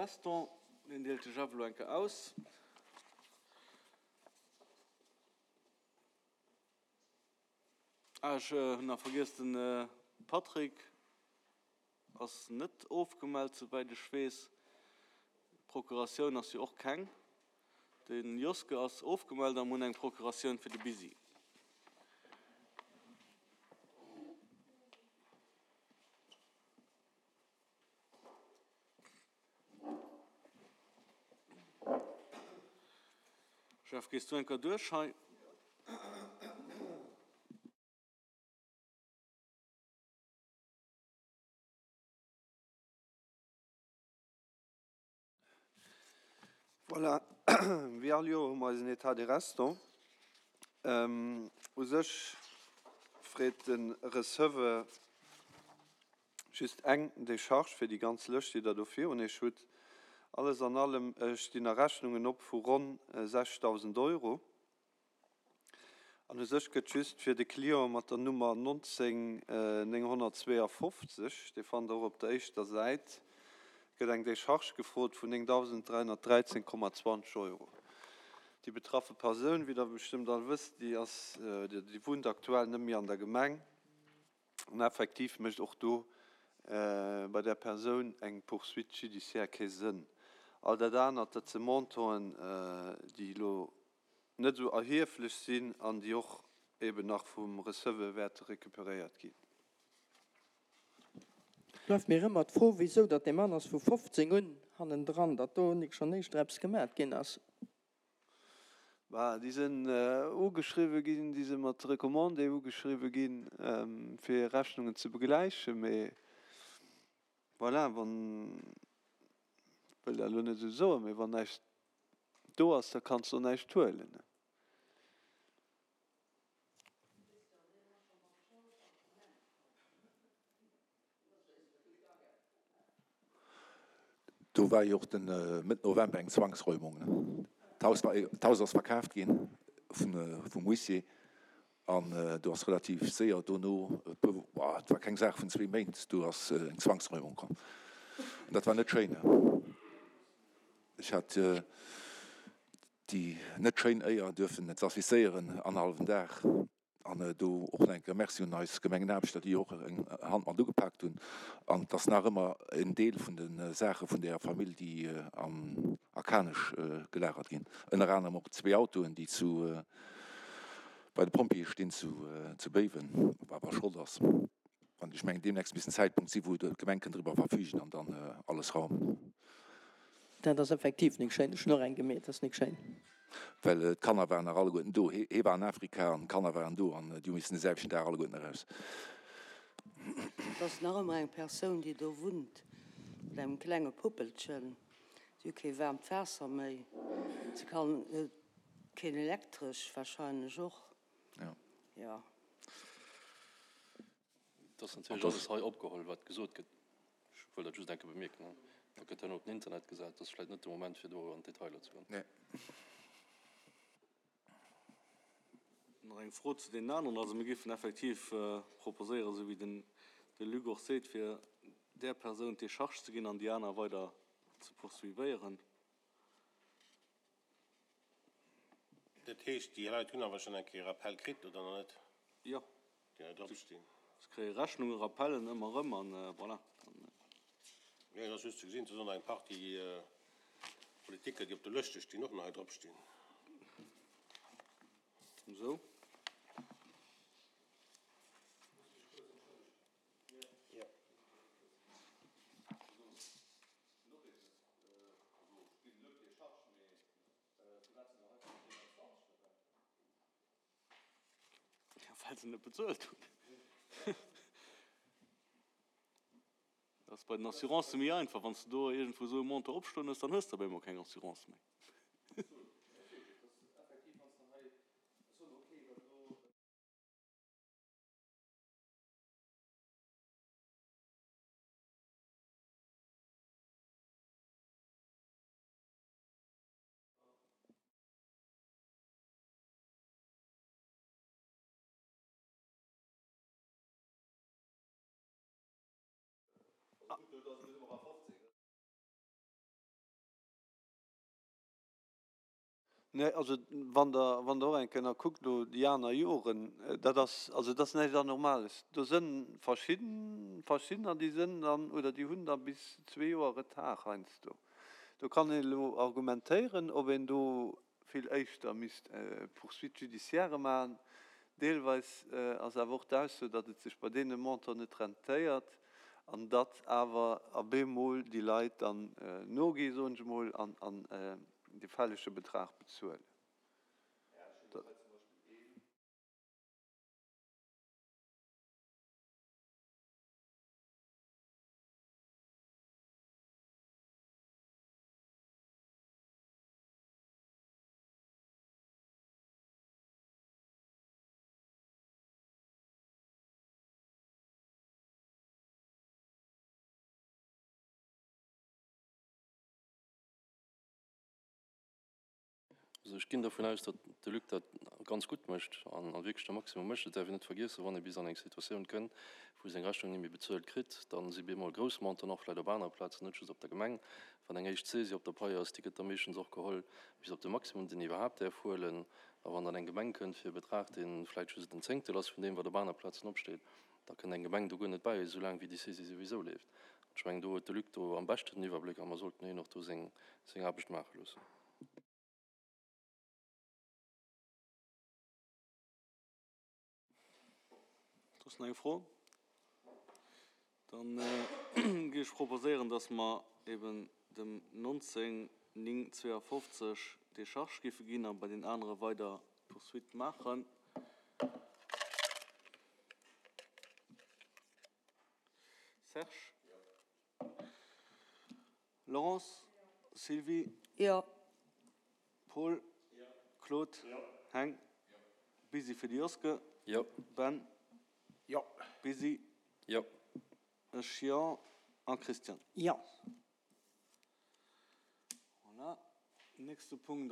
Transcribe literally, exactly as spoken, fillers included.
Restant, deen deelt de Jeff elo eng Kéier aus. Ah, ech hunn nach vergiess, de Patrick ass net ofgemellt, souwäit ech weess. D'Procuratioun ass jo och keng. De Joske ass ofgemellt a mir hunn eng Procuratioun fir de Bisi. Jeff, gees du eng Kéier duerch hei? Voilà, wéi all Joer hu mer eisen État des restants. U sech freet de Receveur just eng Décharge fir déi ganz Lëscht, déi Der do virun Iech hutt. Alles an allem stinn nach Rechnungen op vu ronn sechstausend Euro. An u sech gëtt just fir de Client mat der Nummer nonzéng nénghonnertzweeafofzeg, dee fannt Der och op der éischter Säit, gëtt eng Décharge gefrot vun néngdausend dräihonnertdräizéng Komma zwanzeg Euro. Déi betraffe Persoun, wéi Der bestëmmt all wësst, déi ass, déi wunnt aktuell net méi an der Gemeng. An effektiv mécht och do bei där Persoun eng Poursuite judiciaire kee Sënn. All dat anert, dat si Montanten, déi elo net esou erhieflech sinn an déi och eben nach vum Receveur wäerte recuperéiert ginn. Bleift mir ëmmer d'Fro, wisou datt dee Mann ass vu fofzéng un hannendran, datt do nik schonn éischter eppes gemat ginn ass. Bah, déi sinn ugeschriwwe ginn, déi si mat Recommandé ugeschriwwe ginn, fir Rechnungen ze begläichen. Mee voilà, wann, ech wëll dat elo net esou soen, mee wann näischt do ass, da kanns de och näischt huelen. Do war jo och de Mëtt November eng Zwangsräumung. D'Haus war, d'Haus ass verkaaft gi vum Huissier an do ass relativ séier dono, e puer, et war keng Saach vun zwee Méint, do ass eng Zwangsräumung komm. An dat war net schéin. Ech hat déi net schéin Éier duerfen ze assistéieren, annerhallwen Dag. An do och nach eng Kéier Merci un eis Gemengenaarbechter, déi och eng Hand mat ugepaakt hunn. An et ass nach ëmmer en Deel vun de Saache vun där Famill, déi an a Kanech gelagert ginn. Ënner anerem och zwee Autoen, déi zu bei de Pompjeeë stinn zu zu Béiwen, wat awer Schrott ass. An ech mengen, deemnächst misst en Zäitpunkt sinn, wou d'Gemeng kënnt driwwer verfügen an dann alles raumen. Dat ass effektiv nik schéin. Ech hunn och eng gemeet, dat ass nik schéin. Well d'Kanner waren nach alleguerten do. Hee war an Afrika an d'Kanner waren do an déi hu missen de selwechten Dag alleguerten eraus. Et ass nach ëmmer eng Persoun, déi do wunnt, mat engem klenge Puppelchen. Si hu kee waarmt Waasser méi, se kann keen Elektresch wahrscheinlech och. Jo. Et ass natierlech alles hei opgeholl, wat gesot gëtt. Ech wëll dat just eng Kéier bemierken. Dat gëtt herno op den Internet gesat. Dat ass vläicht net de Moment, fir do an d'Detailer ze goen. Nee. Nach eng Fro zu deenen aneren. Also mir géifen effektiv proposéieren, esou wéi den de Luc och seet, fir där Persoun d'Décharge ze ginn an déi aner weider ze poursuivéieren. Dat heescht, déi Leit hunn awer schonn eng Kéier Rappel kritt, oder nach net? Jo. Déi hei drop stinn. Se kréie Rechnungen, Rappellen ëmmer erëm an voilà. Jo, et ass just ze gesinn, et ass och nach eng Partie Politiker, déi op de Lëschte stinn, och nach hei drop stinn. Esou. Well se net bezuelt hunn. Dat ass bei den Assurancë méi einfach. Wann s de do iergendwou esou e Montant opstoen hues, dann hues de op eemol keng Assurance méi. Nee, also wann Der, wann Der och eng Kéier nach kuckt elo déi aner Joren, dat ass, also dat ass näischt Anormales. Do sënn verschidden, verschiddener, déi sënn dann oder déi hunn da bis zwee Joer Retard heiansdo. Do kann een elo argumentéieren, ob een do vill éischter misst Poursuite judiciaire maachen. Deelweis ass awer och d'Ausso, datt et sech bei deene Montant net rentéiert an datt awer a bemol déi Leit dann nogi, soen ech emol, an, an de fällege Betrag bezuelen. Also ech ginn dervun aus, datt de Luc dat ganz gutt mécht an wierklech de Maximum mécht. Et däerf een net vergiessen, wann ee bis an eng Situatioun kënn, wou e seng Rechnung net méi bezuelt kritt, da si bemol grouss Monten, och vläicht op anere Plazen, net just op der Gemeng. Wann eng éischt Saisie op der Pai ass, déi gëtt da meeschtens och geholl bis op de Maximum, deen een iwwerhaapt däerf huelen. A wann dann eng Gemeng kënnt fir e Betrag, dee vläicht just en Zéngtel ass vun deem, wat op aner Plazen opsteet, da kënnt eng Gemeng do guer net bäi, esoulaang wéi déi Saisie souwisou leeft. An ech mengen, do huet de Luc do am beschten den Iwwerbléck a mer sollten hien och do seng Aarbecht maache loossen. Soss nach eng Fro? Dann géif ech proposéieren, dass mer eben dem neunzehn néng zweiundfünfzig Décharge géife ginn a bei den anere weider Poursuite maachen. Serge? Laurence? Sylvie? Jo. Paul? Claude? Heng? Busy fir de Joske? Jo. Ben? Jo. Busy? Jo. Ech jo. A Christian? Jo. Voilà. Nächste Punkt